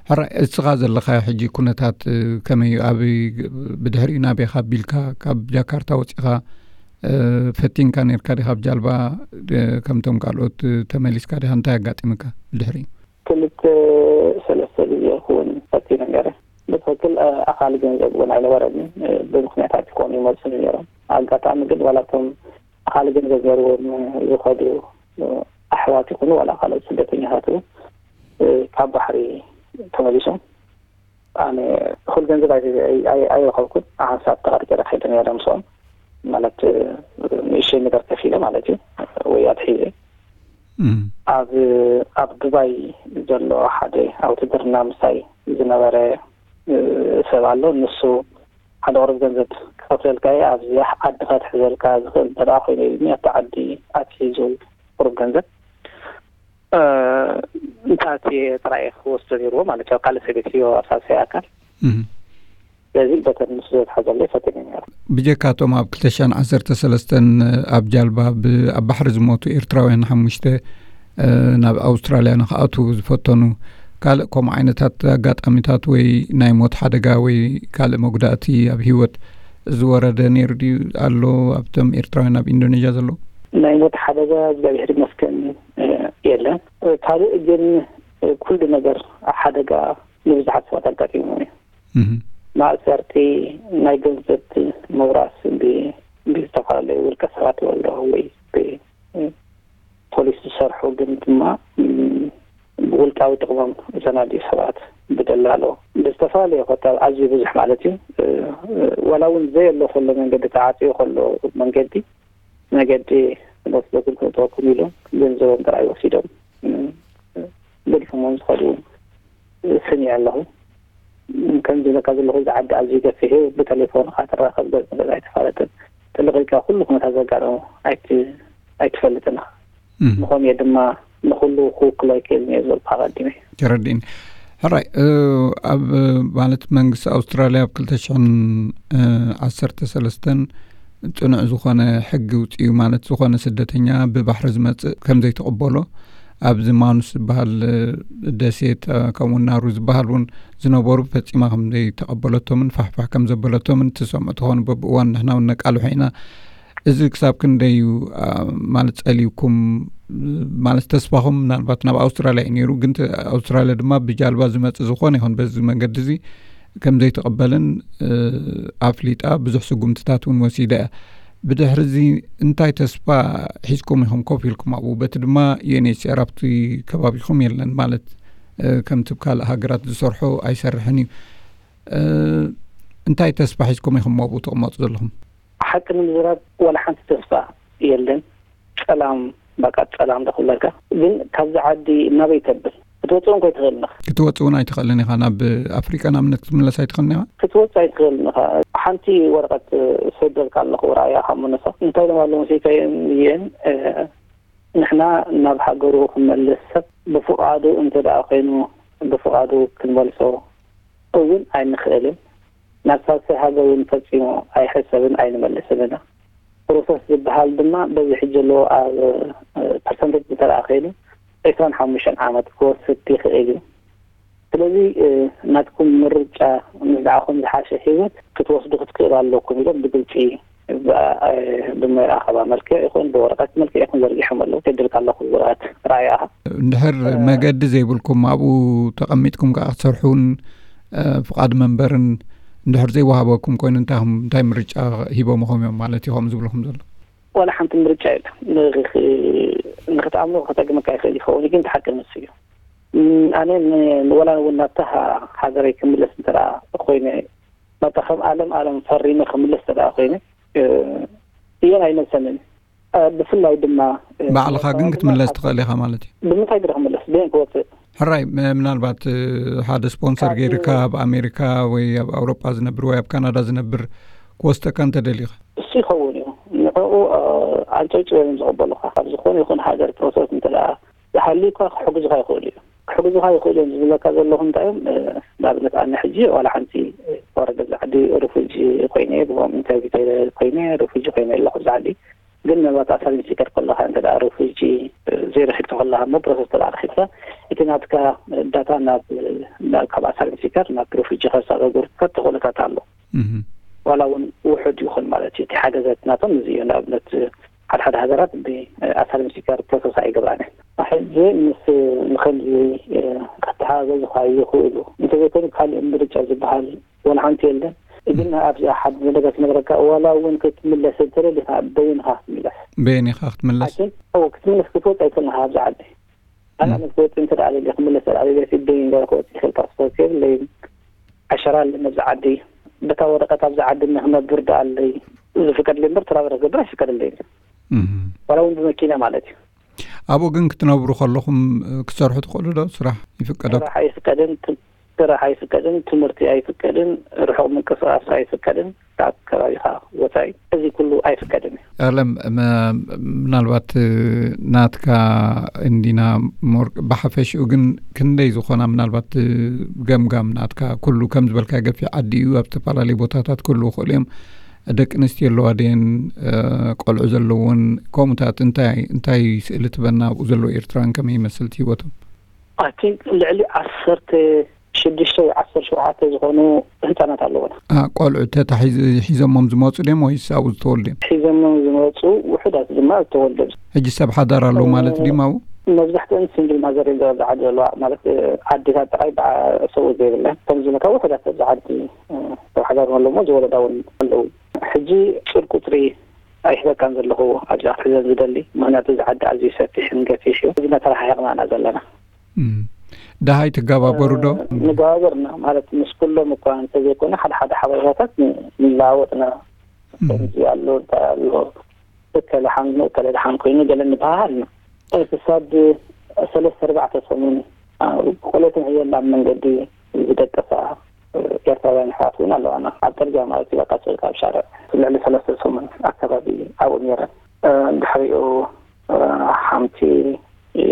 ሕራይ፣ እስኻ ዘለኻዮ ሕጂ ኩነታት፣ እ፣ ከመይ እዩ? ኣብ፣ ብድሕሪኡ ናበይ ኢኻ ኣቢልካ? ካብ ጃካርታ ወፂኻ፣ እ፣ ፈቲንካ ነርካ ዲኻ ብጃልባ፣ እ፣ ከምቶም ካልኦት፣ እ፣ ተመሊስካ ዲኻ? እንታይ ኣጋጢምካ ብድሕሪኡ? ክልተ ሰለስተ ግዜ ክውን ፈቲነ ነይረ። ብትኽክል፣ እ፣ ኣኻሊ ገንዘብ እውን ኣይነበረንን። እ፣ ብምኽንያታት ይኾኑ ይመልሱኒ ነይሮም። ኣጋጣሚ ግን ዋላ እቶም ኣኻሊ ገንዘብ ነይርዎም ዝኸዱ፣ እ፣ ኣሕዋት ይኹኑ ዋላ ካልኦት ስደተኛታት እውን፣ እ፣ ካብ ባሕሪ ተመሊሶም። ኣነ እኹል ገንዘብ ኣይ-፣ ኣይ-፣ ኣይረኸብኩን። ሓንሳብ ተቐርቂረ ከይደ ነይረ ምስኦም። ማለት፣ እ፣ ንእሽተይ ነገር ከፊለ ማለት እዩ፣ ወይ ኣትሒዘ። እም። ኣብ፣ ኣብ ዱባይ ዘሎ ሓደ ኣብ ውትድርና ምሳይ ዝነበረ፣ እ፣ ሰብ ኣሎ። ንሱ ሓደ ቁሩብ ገንዘብ ክኸፍለልካ እየ፣ ኣብዚ ዓዲ ከትሕዘልካ ዝኽእል እንተ ደኣ ኮይኑ ኢሉኒ፣ ኣብቲ ዓዲ ኣትሒዙ ቁሩብ ገንዘብ፣ እ፣ እንተ ኣትየ ጥራይ እየ ክወስዶ ነይርዎ ማለት እዩ፣ ኣብ ካልእ ሰብ ቤት እዩ፣ ኣብ ሳልሳይ ኣካል። እም። ስለዚ በተን ንሱ ዘትሓዘለይ ፈቲነ ነይረ። ብጀካቶም ኣብ ክልተ ሽሕን ዓሰርተ ሰለስተን ኣብ ጃልባ ብ-፣ ኣብ ባሕሪ ዝሞቱ ኤርትራውያን ሓሙሽተ፣ እ፣ ናብ ኣውስትራልያ ንኽኣትዉ ዝፈተኑ ካልእ ከምኡ ዓይነታት ኣጋጣሚታት ወይ ናይ ሞት ሓደጋ ወይ ካልእ መጉዳእቲ ኣብ ህይወት ዝወረደ ነይሩ ድዩ ኣሎ ኣብቶም ኤርትራውያን ኣብ ኢንዶኔዥያ ዘለዉ? ናይ ሞት ሓደጋ እግዚኣብሔር ይመስገን፣ እ፣ የለን። እ፣ ካልእ ግን፣ እ፣ ኩሉ ነገር ሓደጋ ንብዙሓት ሰባት ኣጋጢሙ እዩ። እህ። ማእሰርቲ፣ ናይ ገንዘብ ምውራስ ብ-፣ ብዝተፈላለዩ ውልቀ ሰባት ይወልዶ ወይ ብ-፣ ፖሊስ ዝሰርሑ ግን ድማ፣ ም፣ ብውልቃዊ ጥቕሞም ዘናድዩ ሰባት ብደላሎ ብዝተፈላለየ ኮታ ኣዝዩ ብዙሕ ማለት እዩ። እ፣ እ፣ ዋላ እውን ዘየሎ ከሎ መንገዲ ተዓፅዩ ከሎ መንገዲ መገዲ ክነስደኩም ክነእትወኩም ኢሎም ገንዘቦም ጥራይ ወሲዶም፣ እ፣ ገዲፎምዎም ዝኸዱ ስሚዐ ኣለኹ። ከምዚ ዝብለካ ዘለኹ፣ እዚ ዓዲ ኣዝዩ ገፊሕ እዩ። ብቴሌፎን ኢኻ ትራኸብ፣ ገጽ ንገጽ ኣይትፋለጥን። ጥልቕ ኢልካ ኩሉ ኩነታት ዘጋጠሞ ኣይት-፣ ኣይትፈልጥን ኢኻ። እም። ምኾኑ እየ ድማ ንኹሉ ክውክሎ ኣይክእልን እየ ዝበልኩ ኣቐዲመ። ተረዲእኒ። ሕራይ፣ እ፣ ኣብ፣ ማለት፣ መንግስቲ ኣውስትራልያ ኣብ ክልተ ሽሕን ዓሰርተ ሰለስተን ጽኑዕ ዝኾነ ሕጊ ውጽኡ፣ ማለት፣ ዝኾነ ስደተኛ ብባሕሪ ዝመጽእ ከም ዘይተቐበሎ፣ ኣብዚ ማኑስ ዝበሃል፣ እ፣ ደሴት፣ እ፣ ከምኡ ናሩ ዝበሃል እውን ዝነበሩ ፈጺማ ከም ዘይተቐበለቶምን ፋሕፋሕ ከም ዘበለቶምን ትሰምዑ ትኾኑ። በብእዋኑ ንሕና እውን ነቃልሖ ኢና። እዚ ክሳብ ክንደይ እዩ፣ አ፣ ማለት፣ ጸልዩኩም፣ ማለት፣ ተስፋኹም ምናልባት ናብ ኣውስትራልያ እዩ ነይሩ፣ ግን ተ-፣ ኣውስትራልያ ድማ ብጃልባ ዝመጽእ ዝኾነ ይኹን በዚ መንገዲ እዚ ከም ዘይትቕበልን፣ እ፣ ኣፍሊጣ፣ ብዙሕ ስጉምትታት እውን ወሲዳ እያ። ብድሕሪ እዚ እንታይ ተስፋ ሒዝኩም ኢኹም ኮፍ ኢልኩም ኣብኡ? በቲ ድማ ዩ ኤን ኤች ሲ ኣር ኣብቲ ከባቢኹም የለን፣ ማለት፣ እ፣ ከምቲ ኣብ ካልእ ሃገራት ዝሰርሖ ኣይሰርሕን እዩ። እ፣ እንታይ ተስፋ ሒዝኩም ኢኹም ኣብኡ ትቕመጡ ዘለኹም? ሓቂ ንምዝራብ ዋላ ሓንቲ ተስፋ የለን። ጸላም፣ በቃ ጸላም ዶ ክብለካ። ግን ካብዚ ዓዲ ናበይ ተብል? ክትወፅእ እውን ከይትኽእልን ኢኻ። ክትወፅእ እውን ኣይትኽእልን ኢኻ። ናብ ኣፍሪቃ ንኣብነት ክትምለስ ኣይትኽእልን ኢኻ። ክትወፅእ ኣይትኽእልን ኢኻ። ሓንቲ ወረቐት ሰደልካ ኣለኹ፣ ራእያ ካብ መነሳ እንታይ ኢሎም ኣለዉ መሲልካዮም እየን፣ እ፣ ንሕና ናብ ሃገሩ ክመልስ ሰብ ብፍቓዱ እንተ ደኣ ኮይኑ ብፍቓዱ ክንመልሶ እውን ኣይንኽእልን። ናብ ሳልሳይ ሃገር እውን ፈጺሙ ኣይሕሰብን ኣይንመልስን ኢና። ፕሮሰስ ዝበሃል ድማ በዚ ሕጂ ኣለዎ ኣብ፣ እ፣ ፐርሰንቴጅ እንተ ደኣ ከይዱ ዒስራን ሓሙሽተን ዓመት ክወስድ ይኽእል እዩ። ስለዚ፣ እ፣ ናትኩም ምርጫ ምስ ንዓኹም ዝሓሸ ህይወት ክትወስዱ ክትክእሉ ኣለኩም ኢሎም ብግልጺ ብ-፣ እ፣ ብመራኸባ መልክዕ ይኹን ብወረቐት መልክዕ ይኹን ዘርጊሖም ኣለዉ። ከድልካ ኣለኹ ወረቐት ራእያኻ። እንድሕር እ፣ መገዲ ዘይብልኩም ኣብኡ ተቐሚጥኩም ከኣ ክትሰርሑን፣ እ፣ ፍቓድ መንበርን እንድሕር ዘይወሃበኩም ኮይኑ እንታይ፣ እንታይ ምርጫ ሂቦምኹም እዮም ማለት እዩ ከምኡ ዝብልኹም ዘሎ? ዋላ ሓንቲ ምርጫ የለን። ንኽ-፣ ንኽትኣምኖ ክጠቅመካ ይኽእል ይኸውን፣ ግን እቲ ሓቂ ንሱ እዩ። ም-፣ ኣነ ን-፣ ወላ እውን ናብታ ሃ-፣ ሃገረይ ክምለስ እንተ ደኣ ኮይነ፣ ናብታ ከም ኣለም ኣለም ፈሪመ ክምለስ እንተ ደኣ ኮይነ፣ እ፣ እየን ኣይመልሰንን። እ፣ ብፍላይ ድማ፣ እ፣ ባዕልኻ ግን ክትምለስ ትኽእል ኢኻ ማለት እዩ። ብምንታይ ግደ ክምለስ? ብየን ክወፅእ? ሕራይ፣ ም-፣ ምናልባት፣ እ፣ ሓደ ስፖንሰር ካብ ገይርካ ኣብ ኣሜሪካ ወይ ኣብ ኣውሮጳ ዝነብር ወይ ኣብ ካናዳ ዝነብር ክወስደካ እንተደሊኻ? እሱ ይኸውን እዩ። ንዕኡ፣ እ፣ ኣንጨብጭቦም እዮም ዝቕበሉኻ። ኣብ ዝኾነ ይኹን ሃገር ፕሮሰስ እንተ ደኣ ዝሃልዩካ ክሕግዙኻ ይኽእሉ እዮም። ክሕግዙኻ ይኽእሉ እዮም ዝብለካ ዘለኹ እንታይ እዮም? እ፣ ንኣብነት ኣነ ሕጂ ዋላ ሓንቲ፣ እ፣ ወረደ ኣብዚ ዓዲ ሪፉጂ ኮይነ እየ፣ ብኦም ኢንተርቪው ተይለ ኮይነ ሪፉጂ ኮይነ ኣለኹ ኣብዚ ዓዲ። ግን ምናልባት ኣሳይለም ሲከር ከለኻ እንተ ደኣ ሪፉጂ፣ እ፣ ዘይረኺብካ ከለኻ እሞ ፕሮሰስ እንተ ደኣ ረኺብካ፣ እቲ ናትካ ዳታ ናብ፣ ናብ፣ ካብ ኣሳይለም ሲከር ናብ ሪፉጂ ከሰጋግሩካ ተኽእሎታት ኣሎ። እህ። ዋላ እውን ውሑድ ይኹን ማለት እዩ። እቲ ሓገዛት ናቶም እዚ እዩ። ንኣብነት ሓደ ሓደ ሃገራት ብኣሳይለም ሲከር ፕሮሰስ ኣይገብራን እየን። ሕጂ ምስ ንኸምዚ ከተሓጋገዙኻ ይኽእሉ። እንተዘይኮይኑ ካልእ ምርጫ ዝበሃል ዋላ ሓንቲ የለን። ግን ኣብዚ ሓደ ነገር ክነግረካ፣ ዋላ እውን ክትምለስ እንተደሊኻ በይንኻ ክትምለስ። በይንኻ ክትምለስ? ሓኪም፣ እው፣ ክትምለስ ክትወጽእ ኣይኮንካ ኣብዚ ዓዲ። ኣነ እም። ክትወጽእ እንተ ደኣ ደልየ ክምለስ ደኣ ደልየ በይን ገለ ክወጽእ ይኽእል፣ ፓስፖርት የብለይን። ዓሸራ ኣለኒ ኣብዚ ዓዲ። በታ ወረቐት ኣብዚ ዓዲ ንክነብር ደኣ ኣለይ ዝፍቀድለይ እምበር፣ ትራቨል ክገብር ኣይፍቀደለይን። እም። ዋላ እውን ብመኪና ማለት እዩ። ኣብኡ ግን ክትነብሩ ከለኹም ክትሰርሑ ትኽእሉ ዶ? ስራሕ ይፍቀደኩም? ስራሕ ኣይፍቀድን፣ ት-፣ ስራሕ ኣይፍቀድን፣ ትምህርቲ ኣይፍቀድን፣ ርሑቕ ምንቅስቓስ ኣይፍቀድን፣ ካብ ከባቢኻ ወጻኢ እዚ ኩሉ ኣይፍቀድን እዩ። ኣለም፣ መ-፣ ምናልባት ናትካ እንዲና ሞር ብሓፈሽኡ ግን ክንደይ ዝኾና ምናልባት ገምጋም ናትካ ኩሉ ከም ዝበልካ ገፊሕ ዓዲ እዩ፣ ኣብ ዝተፈላለዩ ቦታታት ኩሉ ይኽእሉ እዮም። ደቂ ኣንስትዮ ኣለዋ ድየን? እ፣ ቆልዑ ዘለውን ከምኡታት እንታይ፣ እንታይ ስእሊ ትበና ኣብኡ ዘለዉ ኤርትራውያን ከመይ ይመስል እቲ ህይወቶም? ኣይ ቲንክ ልዕሊ ዓሰርተ ሽዱሽተ ወይ ዓሰርተ ሸውዓተ ዝኾኑ ህጻናት ኣለዉና። አ፣ ቆልዑ ተታሒዝ-፣ ሒዞሞም ዝመጹ ድዮም ወይስ ኣብኡ ዝተወልዱ እዮም? ሒዞሞም ዝመጹ ውሑዳት ድማ ዝተወልዱ እዮም። ሕጂ ሰብ ሓዳር ኣለዉ ማለት እ፣ ድዮም ኣብኡ? መብዛሕትአን ሲንግል ማዘር እዮም ኣብዚ ዓዲ ዘለዋ፣ ማለት፣ እ፣ ኣዴታት ጥራይ ብኣ-፣ ሰብኡት ዘይብለን። ከም ዝበልካ ውሑዳት ኣብዚ ዓዲ፣ እ፣ ሰብ ሓዳር ኣለዉ እሞ ዝወለዳ እውን ኣለዉ። ሕጂ ጽር ቁጽሪ ኣይህበካን ዘለኹ ኣብዛ ክሕዘን ዝደሊ፣ ምኽንያቱ እዚ ዓዲ ኣዝዩ ሰፊሕን ገፊሕ እዩ። እዚ እናተረሓሒቕና ኢና ዘለና። እም። ደሃይ ትገባበሩ ዶ? እ፣ ንገባበር ኢና፣ ማለት ምስ ኩሎም እኳ እንተዘይኮነ ሓደ ሓደ ሓበሬታታት ን-፣ ንለዋወጥ ኢና። እም። ከምዚ ኣሎ፣ እንታይ ኣሎ፣ እከለ ሓሚሙ፣ እከለ ደሓን ኮይኑ ገለ ንበሃሃል ኢና። እ፣ ክሳብ ሰለስተ ኣርባዕተ ሰሙን፣ እ፣ ቆልዑትን ዕዮን ኣብ መንገዲ ዝደቀሳ፣ እ፣ ኤርትራውያን ኣሕዋት እውን ኣለዋና። ኣብ ጽርግያ ማለት እዩ፣ በቃ፣ ጽርግያ ኣብ ሻርዕ ልዕሊ ሰለስተ ሰሙን ኣከባቢ ኣብኡ ነይረን። እ፣ ድሕሪኡ፣ እ፣ ሓንቲ፣ እ፣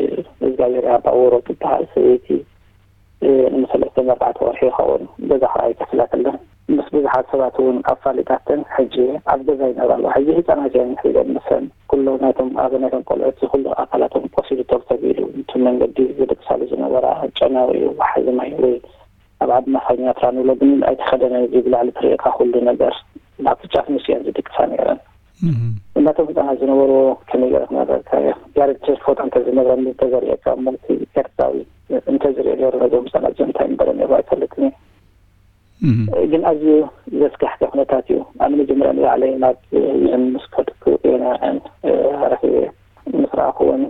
እግዚኣብሔር ያባ ወሮ ትበሃል ሰበይቲ፣ እ፣ ንሰለስተ ኣርባዕተ ወርሒ ይኸውን ገዛ ከኣ ኣይከፍላትለን። ምስ ብዙሓት ሰባት እውን ኣፋሊጣተን፣ ሕጂ ኣብ ገዛ ይነብራ ኣለዋ። ሕጂ ህጻናት እየን ሒዘን፣ ምስን ኩሉ ናይቶም፣ ኣብ ናይቶም ቆልዑት እዚ ኩሉ ኣካላቶም ቆሲሉ፣ ቶርተብ ኢሉ፣ እቲ መንገዲ ዝድቅሳሉ ዝነበራ ጨናዊ እዩ፣ ወሓዚ ማይ ወይ ኣብ ዓድና ኸኛ ትራ ንብሎ፣ ግን ኣይተኸደነን። እዚ ብላዕሊ ትርእየካ ኩሉ ነገር ናብቲ ጫፍ ንሱ እየን ዝድቅሳ ነይረን። እም። እናቶም ህፃናት ዝነበሩ ከመይ ገይረ ክነግረካ እየ? ያሬድ ቸርች ፎቶ እንተዝነግረኒ እንተዘርእየካ እሞ፣ እቲ ኤርትራዊ እንተዝርእዮ ነይሩ ነዞም ህፃናት እዚኦም እንታይ ምበለ ነይሩ ኣይፈልጥን እየ። እም። ግን ኣዝዩ ዘስካሕክሕ ኩነታት እዩ። ኣነ መጀመርያ ንባዕለይ ናብ ዩኤን ምስ ከድኩ እየ ንዕን፣ እ፣ ረኺበ። ምስ ረኣኹወን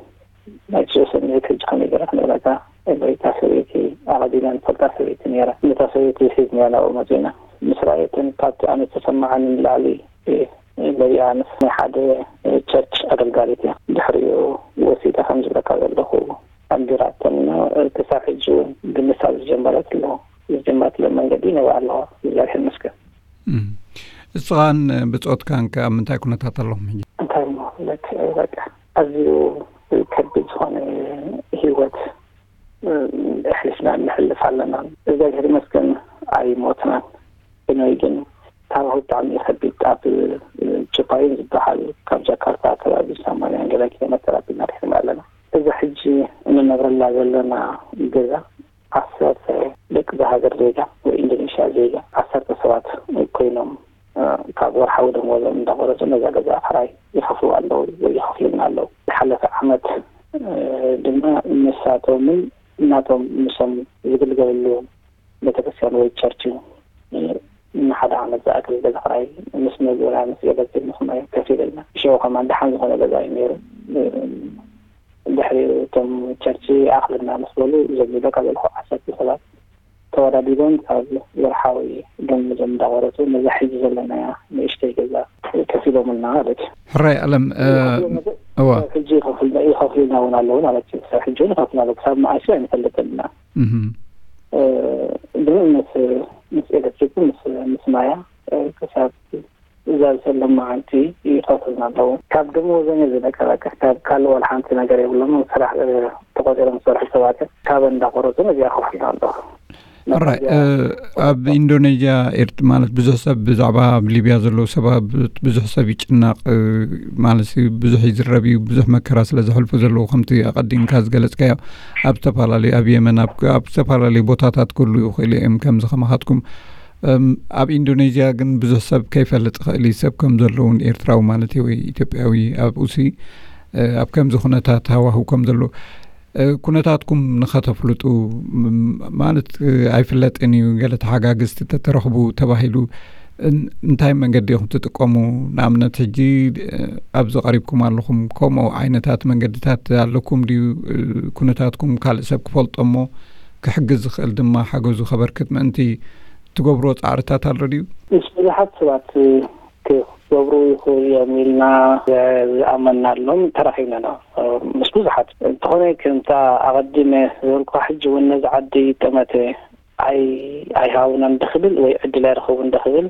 ናይ ሽዑ ስምዒት ሕጂ ከመይ ገይረ ክነግረካ? እታ ሰበይቲ ኣቐዲመ ንፈልጣ ሰበይቲ ነይራ። ነታ ሰበይቲ ሒዝናያ ናብኡ መጺና። ምስ ረኣየትን ካብቲ ኣነ ዝተሰማዓኒ ንላዕሊ፣ እ፣ መሊኣ ምስ ናይ ሓደ ቸርች ኣገልጋሊት እያ። ድሕሪኡ ወሲደ ከም ዝብለካ ዘለኹ ኣንቢራቶምና። ክሳብ ሕጂ እውን ብምሳብ ዝጀመረት ኣለዋ። ዝጀመረትሉ መንገዲ ይነብኣ ኣለዋ። እግዚኣብሔር ይመስገን። እም። እስኻን ብጾትካን ከ ኣብ ምንታይ ኩነታት ኣለኹም ሕጂ? እንታይ እሞ ክብለካ፣ በቃ ኣዝዩ ከቢድ ዝኾነ ህይወት፣ እ፣ ኣሕሊፍና ንሕልፍ ኣለና። እግዚኣብሔር ይመስገን ኣይሞትናን። ብኖይ ግን ታባሁ ብጣዕሚ ከቢድ፣ ኣብ፣ እ፣ ጭባዩን ዝበሃል ካብ ጃካርታ ከባቢ ሰማንያ ገለ ኪሎ ሜትር ኣቢልና ርሒቕና ኣለና። እዚ ሕጂ እንነብረላ ዘለና ገዛ ዓሰርተ ደቂ እዛ ሃገር ዜጋ ወይ ኢንዶኔሽያ ዜጋ ዓሰርተ ሰባት ኮይኖም፣ እ፣ ካብ ወርሓዊ ደመወዞም እንዳቆረጹ ነዛ ገዛ ክራይ ይኸፍሉ ኣለዉ ወይ ይኸፍሉና ኣለዉ። ዝሓለፈ ዓመት፣ እ፣ ድማ ንሳቶምን እናቶም ምሶም ዝግልገለሉ ቤተክርስትያን ወይ ቸርች እዩ። እ፣ ንሓደ ዓመት ዝኣክል ገዛ ክራይ ምስ መግብና ምስ ኤሌክትሪክ ንኹናዮ ከፊልና። ሽዑ ከማን ደሓን ዝኾነ ገዛ እዩ ነይሩ። እ፣ ድሕሪ እቶም ቸርች ይኣኽለና ምስ በሉ፣ እዞም ዝብለካ ዘለኹ ዓሰርተ ሰባት ተወዳዲቦም ካብ ወርሓዊ ደሞዞም እንዳቆረጹ ነዛ ሕጂ ዘለናያ ንእሽተይ ገዛ ከፊሎምልና ማለት እዩ። ሕራይ ኣለም፣ እ፣ ይኸፍሉ፣ እዋ። ሕጂ ይኸፍሉ-፣ ይኸፍሉና እውን ኣለዉ ማለት እዩ። ክሳብ ሕጂ እውን ይኸፍሉና ኣለዉ። ክሳብ መዓስ እዩ ኣይንፈልጥን ኢና። እህም። እ፣ ግን ምስ፣ ምስ ኤሌክትሪክ፣ ምስ፣ ምስ ማያ፣ እ፣ ክሳብ እዛ ዝሰለም መዓልቲ ይኸፍሉና ኣለዉ። ካብ ደመወዞም እዩ ዝነቀ፣ በቃ። ካብ ካልእ ዋላ ሓንቲ ነገር የብሎም። ስራሕ፣ እ፣ ተቖጺሮም ዝሰርሑ ሰባት እዮም። ካብ እንዳቆረጹ ነዚኣ ይኸፍሉና ኣለዉ። ሕራይ፣ እ፣ ኣብ ኢንዶኔዥያ፣ ኤርት-፣ ማለት ብዙሕ ሰብ ብዛዕባ ኣብ ሊብያ ዘለዉ ሰባት ብዙሕ ሰብ ይጭነቕ፣ እ፣ ማለት ብዙሕ ይዝረብ እዩ፣ ብዙሕ መከራ ስለ ዘሕልፉ ዘለዉ፣ ከምቲ ኣቐዲምካ ዝገለጽካዮ ኣብ ዝተፈላለዩ፣ ኣብ የመን፣ ኣብ፣ ኣብ ዝተፈላለዩ ቦታታት ክህሉ ይኽእሉ እዮም፣ ከምዚ ከማኻትኩም። እም፣ ኣብ ኢንዶኔዥያ ግን ብዙሕ ሰብ ከይፈልጥ ይኽእል እዩ፣ ሰብ ከም ዘለዉን ኤርትራዊ ማለት እዩ ወይ ኢትዮጵያዊ ኣብኡሲ፣ እ፣ ኣብ ከምዚ ኩነታት ሃዋህው ከም ዘሎ፣ እ፣ ኩነታትኩም ንኸተፍልጡ፣ ም-፣ ማለት፣ እ፣ ኣይፍለጥን እዩ፣ ገለ ተሓጋግዝቲ ተተረኽቡ ተባሂሉ፣ እን-፣ እንታይ መንገዲ ኢኹም ትጥቀሙ? ንኣብነት ሕጂ፣ እ፣ ኣብዚ ቀሪብኩም ኣለኹም፣ ከምኡ ዓይነታት መንገድታት ኣለኩም ድዩ? እ፣ ኩነታትኩም ካልእ ሰብ ክፈልጦ እሞ ክሕግዝ ዝኽእል ድማ ሓገዙ ከበርክት ምእንቲ ትገብርዎ ጻዕርታት ኣሎ ድዩ? ምስ ብዙሓት ሰባት ክገብሩ ይኽእሉ እዮም ኢልና ዝኣመናሎም ተራኺብና ኢና፣ ምስ ብዙሓት። እንተኾነ ከምታ ኣቐዲመ ዝበልኩኻ፣ ሕጂ እውን ነዚ ዓዲ ጠመተ ኣይ-፣ ኣይሃቡናን ድኽብል ወይ ዕድል ኣይረኸቡን ድኽብል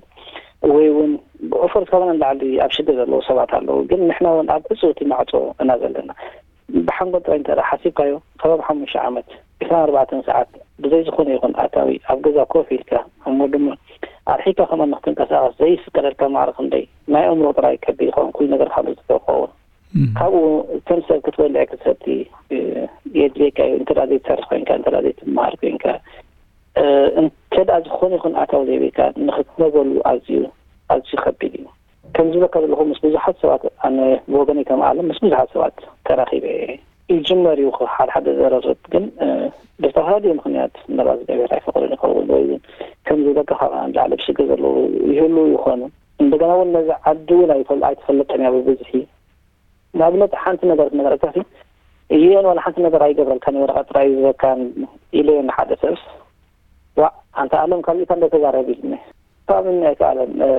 ወይ እውን ብኦፈር ካባና ንላዕሊ ኣብ ሽግር ዘለዉ ሰባት ኣለዉ። ግን ንሕና እውን ኣብ ዕጹው እቲ ማዕጾ እና ዘለና። ብሓንጎል ጥራይ እንተ ደኣ ሓሲብካዮ፣ ከባቢ ሓሙሽተ ዓመት፣ ዕስራን ኣርባዕተን ሰዓት ብዘይ ዝኾነ ይኹን ኣታዊ ኣብ ገዛ ኮፍ ኢልካ፣ እሞ ድማ ኣርሒቕካ ከማን ንክትንቀሳቐስ ዘይፍቀደልካ ማዕረ ክንደይ ናይ ኣእምሮ ጥራይ ከቢድ ይኸውን፣ ኩሉ ነገርካ ንዝቶ ክኸውን። እም። ካብኡ ከም ሰብ ክትበልዕ ክትሰቲ፣ እ፣ የድልየካ እዩ። እንተ ደኣ ዘይትሰርሕ ኮይንካ፣ እንተ ደኣ ዘይትመሃር ኮይንካ፣ እ፣ እንተ ደኣ ዝኾነ ይኹን ኣታዊ ዘይብልካ፣ ንኽትነበሉ ኣዝዩ፣ ኣዝዩ ከቢድ እዩ። ከም ዝብለካ ዘለኹ፣ ምስ ብዙሓት ሰባት፣ ኣነ ብወገነይ ከም ዓለም ምስ ብዙሓት ሰባት ተራኺበ እየ። ይጅመር እዩ ሓደ ሓደ ዘረርብ፣ ግን፣ እ፣ ብዝተፈላለየ ምኽንያት ምናልባት እግዚኣብሔር ኣይፈቐዶን ይኸውን፣ ወይ እውን ከም ዝብለካ ካብኣ ንላዕሊ ብሽግር ዘለዉ ይህልዉ ይኾኑ። እንደገና እውን ነዚ ዓዲ እውን ኣይፈል-፣ ኣይተፈለጠን እያ ብብዝሒ። ንኣብነት ሓንቲ ነገር ክነግረካ ሲ፣ ዩ ኤን ዋላ ሓንቲ ነገር ኣይገብረልካን እዩ፣ ወረቐት ጥራይ እዩ ዝህበካን ኢለዮ ንሓደ ሰብስ። ዋእ፣ ኣንታ ኣለም፣ ካብዚእካ እንዶ ተዛረብ ኢሉኒ። ክኣምን ኣይከኣለን። እ፣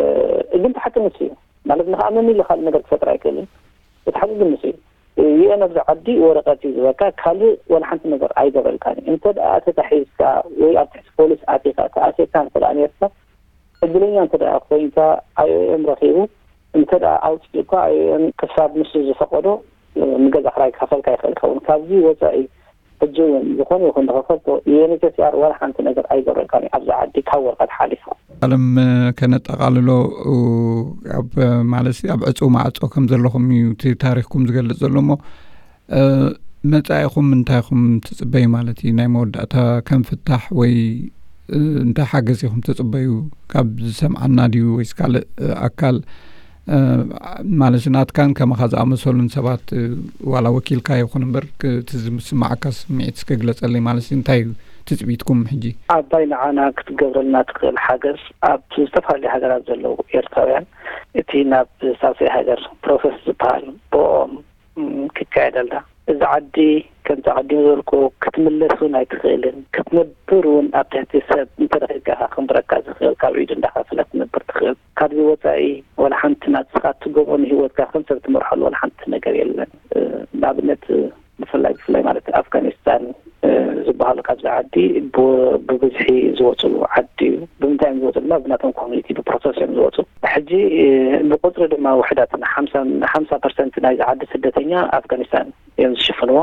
ግን እቲ ሓቂ ንሱ እዩ። ማለት ንኽኣምን ኢለ ካልእ ነገር ክፈጥር ኣይክእልን። እቲ ሓቂ ግን ንሱ እዩ። ዩ ኤን ኣብዚ ዓዲ ወረቐት እዩ ዝበካ፣ ካልእ ዋላ ሓንቲ ነገር ኣይገብረልካን እዩ። እንተ ደኣ ተታሒዝካ ወይ ኣብ ትሕቲ ፖሊስ ኣቲኻ ተኣሲርካ እንተ ደኣ ነርካ፣ ዕድለኛ እንተ ደኣ ኮይንካ፣ ኣይ ኦ ኤም ረኺቡ እንተ ደኣ ኣውጺኡካ፣ ኣይ ኦ ኤም ክሳብ ንሱ ዝፈቐዶ፣ እ፣ ንገዛ ክራይ ክኸፈልካ ይኽእል ይኸውን። ካብዚ ወጻኢ ሕጂ እውን ዝኾነ ይኹን ዝኸፈልኮ ዩ ኤን ኤች ሲ ኣር ዋላ ሓንቲ ነገር ኣይገብረልካን እዩ፣ ኣብዚ ዓዲ ካብ ወረቐት ሓሊፉ። ኣለም፣ እ፣ ከነጠቓልሎ፣ እ፣ ኣብ፣ ማለት ኣብ ዕጹው ማዕጾ ከም ዘለኹም እዩ እቲ ታሪኽኩም ዝገልጽ ዘሎ እሞ፣ እ፣ መጻኢኹም እንታይ ኢኹም ትጽበዩ ማለት እዩ? ናይ መወዳእታ ከም ፍታሕ ወይ፣ እ፣ እንታይ ሓገዝ ኢኹም ትጽበዩ? ካብ ዝሰምዓና ድዩ ወይስ ካልእ፣ እ፣ ኣካል፣ እ፣ ማለት ናትካን ከማኻ ዝኣመሰሉን ሰባት፣ እ፣ ዋላ ወኪልካ ይኹን እምበር፣ ክ-፣ እቲ ዝስምዓካ ስምዒት እስከ ግለጸለይ። ማለት እንታይ እዩ ትጽቢትኩም ሕጂ? ዓባይ ንዓና ክትገብረልና ትኽእል ሓገዝ፣ ኣብ ዝተፈላለዩ ሃገራት ዘለዉ ኤርትራውያን፣ እቲ ናብ ሳልሳይ ሃገር ፕሮሰስ ዝበሃል ብኦም፣ ም፣ ክካየደልና። እዚ ዓዲ ከምቲ ኣቐዲሙ ዝበልኩ ክትምለስ እውን ኣይትኽእልን። ክትነብር እውን ኣብ ትሕቲ ሰብ እንተረኺብካ ኢኻ ክንብረካ ዝኽእል፣ ካብ ኢዱ እንዳኸፈለ ክትነብር ትኽእል። ካብዚ ወጻኢ ዋላ ሓንቲ ናትስኻ እትገብሮ ንህይወትካ ከም ሰብ ትመርሐሉ ዋላ ሓንቲ ነገር የለን። እ፣ ንኣብነት፣ ብፍላይ፣ ብፍላይ ማለት ኣፍጋኒስታን፣ ብ- ብብዝሒ ዝወፅሉ ዓዲ እዩ። ብምንታይ እዮም ዝወፅሉ? ብናቶም ኮሚኒቲ ብፕሮሰስ እዮም ዝወፁ። ሕጂ ብቁፅሪ ድማ ውሕዳት ሓምሳ ፐርሰንት ናይዚ ዓዲ ስደተኛ ኣፍጋኒስታን እዮም ዝሽፍንዎ።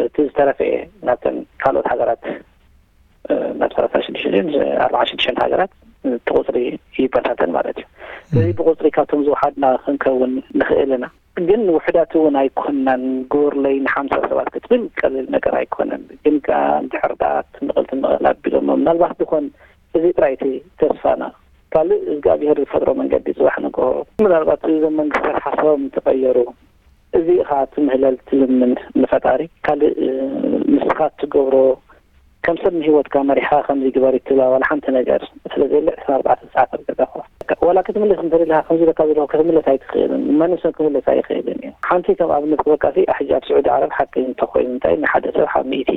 እቲ ዝተረፈ ናብተን ካልኦት ሃገራት ናብ ሰላሳ ሽዱሽተ ኣርባዓ ሽዱሽተ ሃገራት እቲ ቁፅሪ ይበታተን ማለት እዩ። ስለዚ ብቁፅሪ ካብቶም ዝወሓድና ክንከውን ንኽእል ኢና። ግን ውሕዳት እውን ኣይኮናን። ግበሩለይ ንሓምሳ ሰባት ክትብል ቀሊል ነገር ኣይኮነን። ግን ከኣ እንድሕር ደኣ ትንቕል ትንቕል ኣቢሎሞ ምናልባት ድኾን እዚ ጥራይ እቲ ተስፋና። ካልእ እግዚኣብሔር ዝፈጥሮ መንገዲ ጽባሕ ንግሆ ምናልባት እዞም መንግስታት ሓሳቦም እንተቐየሩ እዚ ኢኻ ትምህለል ትልምን ንፈጣሪ ካልእ ንስኻ ትገብሮ ከም ሰብ ንህይወትካ መሪሕኻ ከምዚ ግበር ይትብላ ዋላ ሓንቲ ነገር ስለ ዘየለ ዕስራን ኣርባዕተን ሰዓት ኣብ ገዛኻ ዋላ ክትምለስ እንተደሊኻ ከምዚ ኢለካ ዘለኹ ክትምለስ ኣይትኽእልን። ማንም ሰብ ክምለስ ኣይኽእልን እዩ። ሓንቲ ከም ኣብነት ክበካ ሕጂ ኣብ ስዑዲ ዓረብ ሓቂ እንተኾይኑ እንታይ ንሓደ ሰብ ሓብ ሚእቲ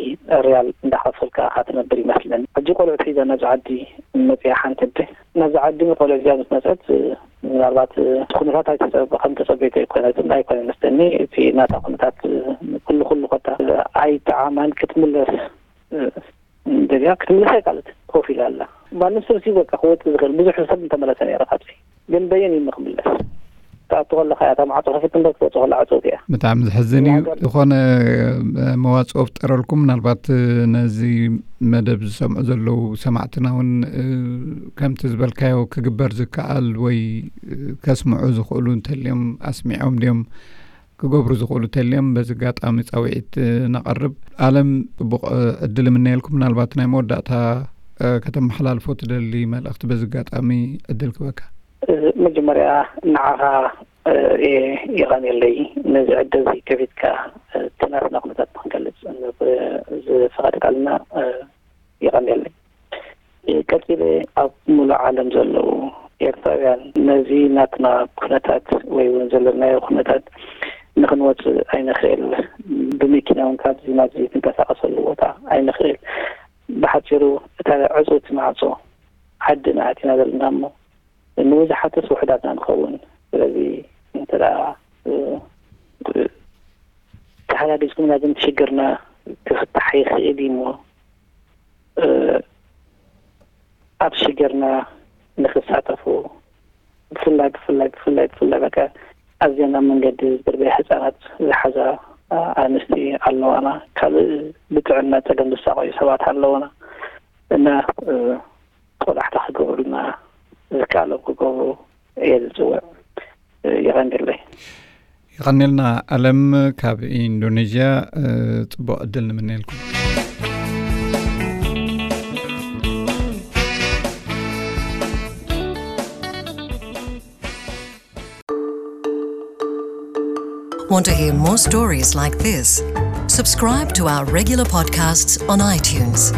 ሪያል እንዳኸፈልካ ኢኻ ትነብር ይመስለኒ። ሕጂ ቆልዑት ሒዛ ናብዚ ዓዲ መፅያ ሓንቲ ኣደ ናብዚ ዓዲ ቆልዑት ሒዛ ምስ መፀት ምናልባት እቲ ኩነታት ኣይተፀበ ከም ተፀበይቶ ኣይኮነትን ኣይኮነ መስለኒ። እቲ ናታ ኩነታት ኩሉ ኩሉ ኮታ ኣይጠዓማን ክትምለስ ደልያ ክትምለስ ኣይካለት ኮፍ ኢላ ኣላ። ማንም ሰብ ሲ በቃ ክወፅእ ዝኽእል ብዙሕ ሰብ እንተመለሰ ነይረ ካብዚ ግን በየን እዩ ክምለስ? ትኣቱ ከለኻ እያ እታ ማዕፆ ከፊት እምበር ክትወፅእ ከላ ዕፅውቲ እያ። ብጣዕሚ ዘሕዝን እዩ። ዝኾነ መዋፅኦ ፍጠረልኩም ምናልባት ነዚ መደብ ዝሰምዑ ዘለዉ ሰማዕትና እውን ከምቲ ዝበልካዮ ክግበር ዝከኣል ወይ ከስምዑ ዝኽእሉ እንተልዮም ኣስሚዖም ድዮም ክገብሩ ዝኽእሉ እንተልዮም በዚ ኣጋጣሚ ጻውዒት ነቐርብ። ኣለም ጽቡቕ ዕድል እምነየልኩም። ምናልባት ናይ መወዳእታ ከተመሓላልፎ ትደሊ መልእኽቲ በዚ ኣጋጣሚ ዕድል ክበካ። መጀመርያ ንዓኻ የቐንየለይ ነዚ ዕድል እዚ ከፊትካ እቲ ናትና ኩነታት ንክንገልጽ ዝፈቐድካልና የቐንየለይ። ቀጺለ ኣብ ሙሉእ ዓለም ዘለዉ ኤርትራውያን ነዚ ናትና ኩነታት ወይ እውን ዘለናዮ ኩነታት ንክንወፅእ ኣይንኽእል። ብመኪና እውን ካብዚ ናብዚ ክንቀሳቀሰሉ ቦታ ኣይንኽእል። ብሓፂሩ እታ ዕፁ እቲ ማዕፆ ዓድና ኣቲና ዘለና እሞ ንብዙሓትስ ውሕዳትና ንኸውን። ስለዚ እንተ ተሓጋጊዝኩምና ግን ሽግርና ክፍታሕ ይኽእል እዩ እሞ ኣብ ሽግርና ንክሳተፉ ብፍላይ ብፍላይ ብፍላይ ብፍላይ በቃ ኣዝየን ኣብ መንገዲ ዝድርበያ ህፃናት ዝሓዛ ኣንስቲ ኣለዋና። ካልእ ብጥዕና ፀገም ዝሳቀዩ ሰባት ኣለውና እና ቆላሕታ ክገብሩልና ዝከኣሎም ክገብሩ እየ ዝፅውዕ። የቐንየለይ። የቐንየልና ኣለም ካብ ኢንዶኔዥያ። ፅቡቕ ዕድል ንምነየልኩም። Want to hear more stories like this? Subscribe to our regular podcasts on iTunes.